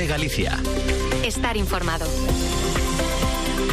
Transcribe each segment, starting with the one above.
COPE Galicia. Estar informado.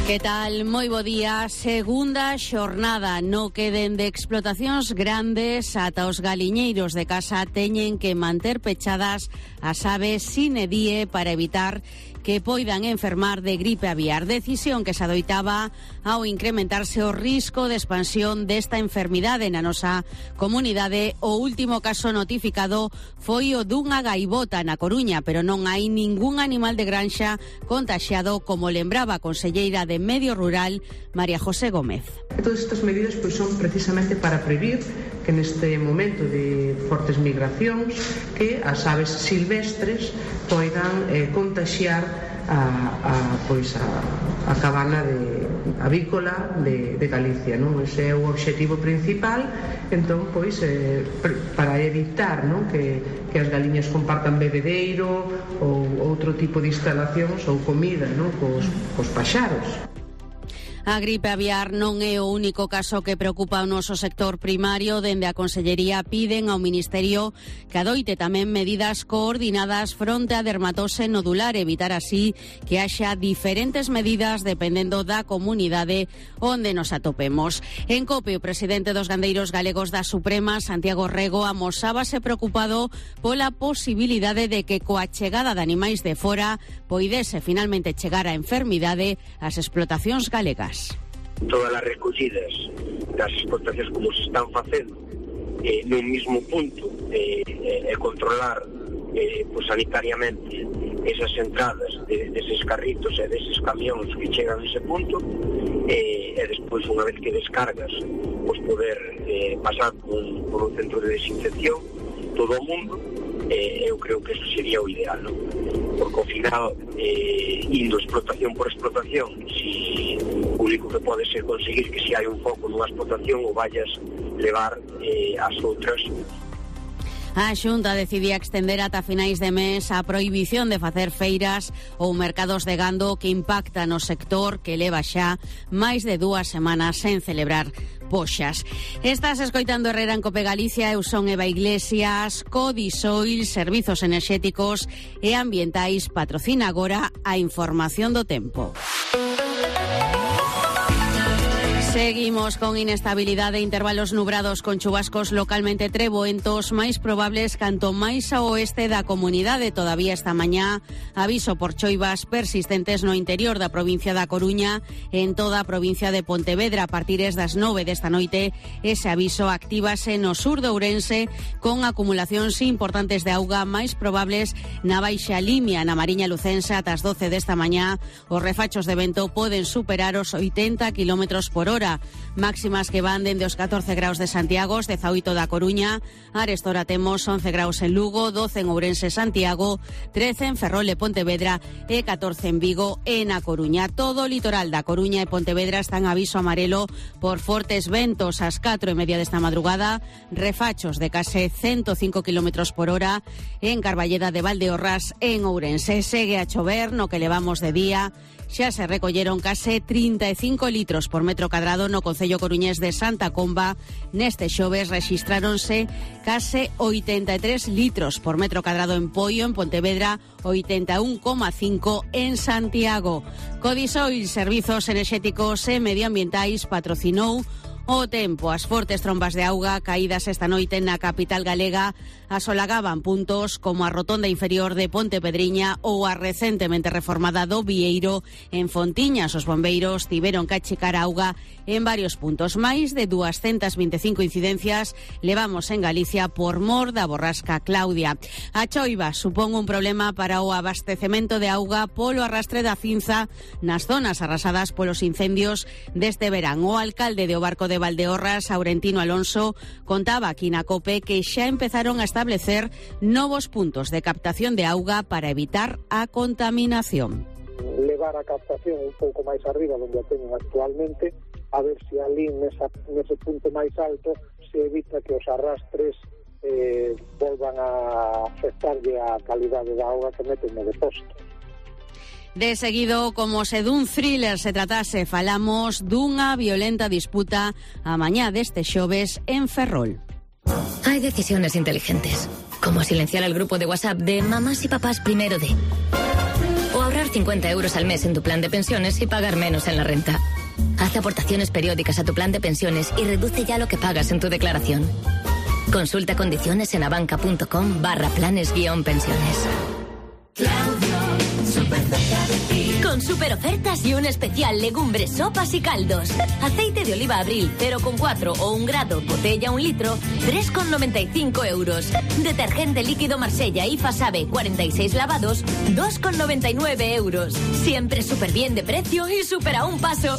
Que tal? Moi bo día. Segunda xornada. No queden de explotacións grandes, ata os galiñeiros de casa teñen que manter pechadas as aves sine die para evitar que poidan enfermar de gripe aviar. Decisión que se adoitaba ao incrementarse o risco de expansión desta enfermidade na nosa comunidade. O último caso notificado foi o dunha gaivota na Coruña, pero non hai ningún animal de granxa contaxiado, como lembraba a conselleira de Medio Rural, María José Gómez. Todas estas medidas son precisamente para prevenir que neste momento de fortes migracións que as aves silvestres poidan contaxiar a cabana avícola de Galicia, non? Ese é o obxectivo principal. Entón, para evitar, non, que as galiñas compartan bebedeiro ou outro tipo de instalacións ou comida, non, cos paxaros. A gripe aviar non é o único caso que preocupa o noso sector primario. Dende a Consellería piden ao Ministerio que adoite tamén medidas coordinadas fronte á dermatose nodular, evitar así que haxa diferentes medidas dependendo da comunidade onde nos atopemos. En COPE, o presidente dos gandeiros galegos da Suprema, Santiago Rego, amosábase preocupado pola posibilidade de que coa chegada de animais de fora poidese finalmente chegar a enfermidade ás explotacións galegas. Todas as recollidas das explotacións como se están facendo nun mismo punto e controlar sanitariamente esas entradas deses carritos e deses camións que chegan a ese punto e despois, unha vez que descargas, poder pasar por un centro de desinfección todo o mundo. Eu creo que eso sería o ideal, non? Porque ao final, indo explotación por explotación, si o único que pode ser conseguir que se hai un foco nunha explotación o vayas levar as outras. A Xunta decidía extender ata finais de mes a prohibición de facer feiras ou mercados de gando que impacta no sector que leva xa máis de 2 semanas sen celebrar poxas. Estás escoitando Herrera en COPE Galicia. Eu son Eva Iglesias. Codisoil, Servizos Enerxéticos e Ambientais, patrocina agora a información do tempo. Seguimos con inestabilidade, intervalos nubrados con chubascos localmente treboentos, máis probables canto máis ao oeste da comunidade. Todavía esta mañá aviso por choivas persistentes no interior da provincia da Coruña, en toda a provincia de Pontevedra. A partir das 9 desta noite, ese aviso actívase no sur de Ourense, con acumulacións importantes de auga máis probables na Baixa Limia, na Mariña Lucense. Ata as 12 desta mañá, os refachos de vento poden superar os 80 km por hora. Máximas que van dende os 14 graus de Santiago, 18 da Coruña. Arestora temos 11 graus en Lugo, 12 en Ourense e Santiago, 13 en Ferrol e Pontevedra e 14 en Vigo e na Coruña. Todo o litoral da Coruña e Pontevedra está en aviso amarelo por fortes ventos. Ás 4:30 desta madrugada, refachos de case 105 km por hora en Carballeda de Valdeorras e en Ourense. Segue a chover no que levamos de día. Xa se recolleron case 35 litros por metro cadrado no concello coruñés de Santa Comba. Neste xoves rexistráronse case 83 litros por metro cadrado en Poio, en Pontevedra, 81,5 en Santiago. Codisoil, Servizos Enerxéticos e Medioambientais, patrocinou o tempo. As fortes trombas de auga caídas esta noite na capital galega asolagaban puntos como a rotonda inferior de Pontepedriña ou a recentemente reformada do Vieiro en Fontiñas. Os bombeiros tiveron que achicar auga en varios puntos. Máis de 225 incidencias levamos en Galicia por mor da borrasca Claudia. A choiva supón un problema para o abastecemento de auga polo arrastre da cinza nas zonas arrasadas polos incendios deste verán. O alcalde de O Barco de Valdeorras, Aurentino Alonso, contaba aquí na COPE que xa empezaron a establecer novos puntos de captación de auga para evitar a contaminación. Levar a captación un pouco máis arriba onde a teñen actualmente, a ver se ali nese punto máis alto se evita que os arrastres volvan a afectarlle a calidade da auga que meten no depósito. De seguido, como se dun thriller se tratase, falamos dunha violenta disputa a mañá deste xoves en Ferrol. Hay decisiones inteligentes, como silenciar el grupo de WhatsApp de mamás y papás primero de... 50 euros al mes en tu plan de pensiones y pagar menos en la renta. Haz aportaciones periódicas a tu plan de pensiones y reduce ya lo que pagas en tu declaración. Consulta condiciones en abanca.com/planes-pensiones. Con super ofertas y un especial legumbres, sopas y caldos. Aceite de oliva Abril 0,4 o 1 grado, botella 1 litro, 3,95 euros. Detergente líquido Marsella y Fasabe 46 lavados, 2,99 euros. Siempre súper bien de precio y súper a un paso.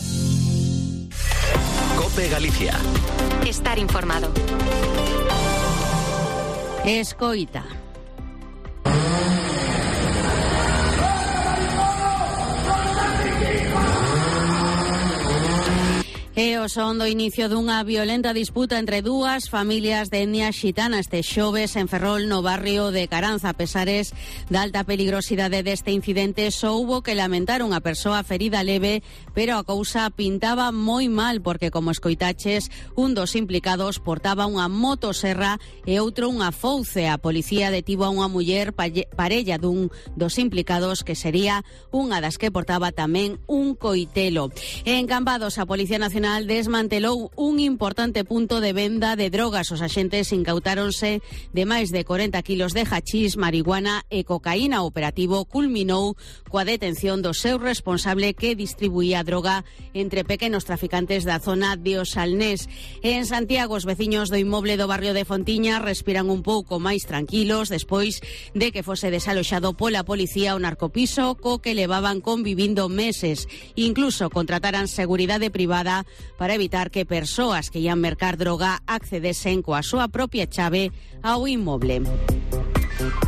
COPE Galicia. Estar informado. Escoita. E o son do inicio dunha violenta disputa entre dúas familias de etnia xitana este xoves en Ferrol, no barrio de Caranza. A pesares da alta peligrosidade deste incidente, só hubo que lamentar unha persoa ferida leve, pero a cousa pintaba moi mal porque, como escoitaches, un dos implicados portaba unha motoserra e outro unha fouce. A policía detivo a unha muller parella dun dos implicados, que sería unha das que portaba tamén un coitelo. En Cambados, a Policía Nacional desmantelou un importante punto de venda de drogas. Os axentes incautáronse de máis de 40 kilos de hachís, marihuana e cocaína. O operativo culminou coa detención do seu responsable, que distribuía droga entre pequenos traficantes da zona de Os Salnés. En Santiago, os veciños do inmoble do barrio de Fontiña respiran un pouco máis tranquilos despois de que fose desaloxado pola policía o narcopiso co que levaban convivindo meses. Incluso contrataran seguridade privada para evitar que persoas que ian mercar droga accedesen coa súa propia chave ao inmoble.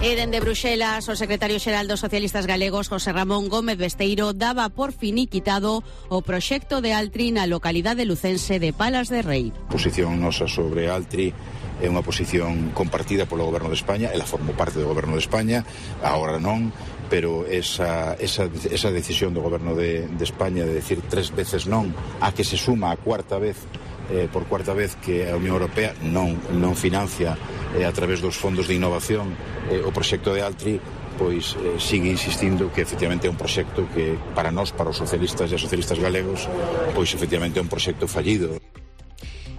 E dende Bruxelas, o secretario xeral dos socialistas galegos, José Ramón Gómez Besteiro, daba por finiquitado o proxecto de Altri na localidade lucense de Palas de Rei. A posición nosa sobre Altri é unha posición compartida polo Goberno de España. Ela formou parte do Goberno de España, agora non, pero esa decisión do Goberno de España de decir 3 veces non, a que se suma a cuarta vez, por cuarta vez, que a Unión Europea non financia a través dos fondos de innovación o proxecto de Altri, pois sigue insistindo que efectivamente é un proxecto que para nós, para os socialistas e as socialistas galegos, pois efectivamente é un proxecto fallido.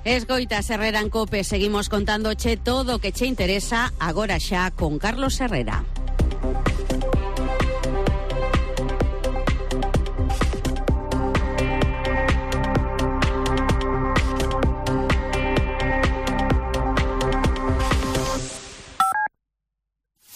Escoitas Herrera en COPE, seguimos contándoche todo o que che interesa agora xa con Carlos Herrera.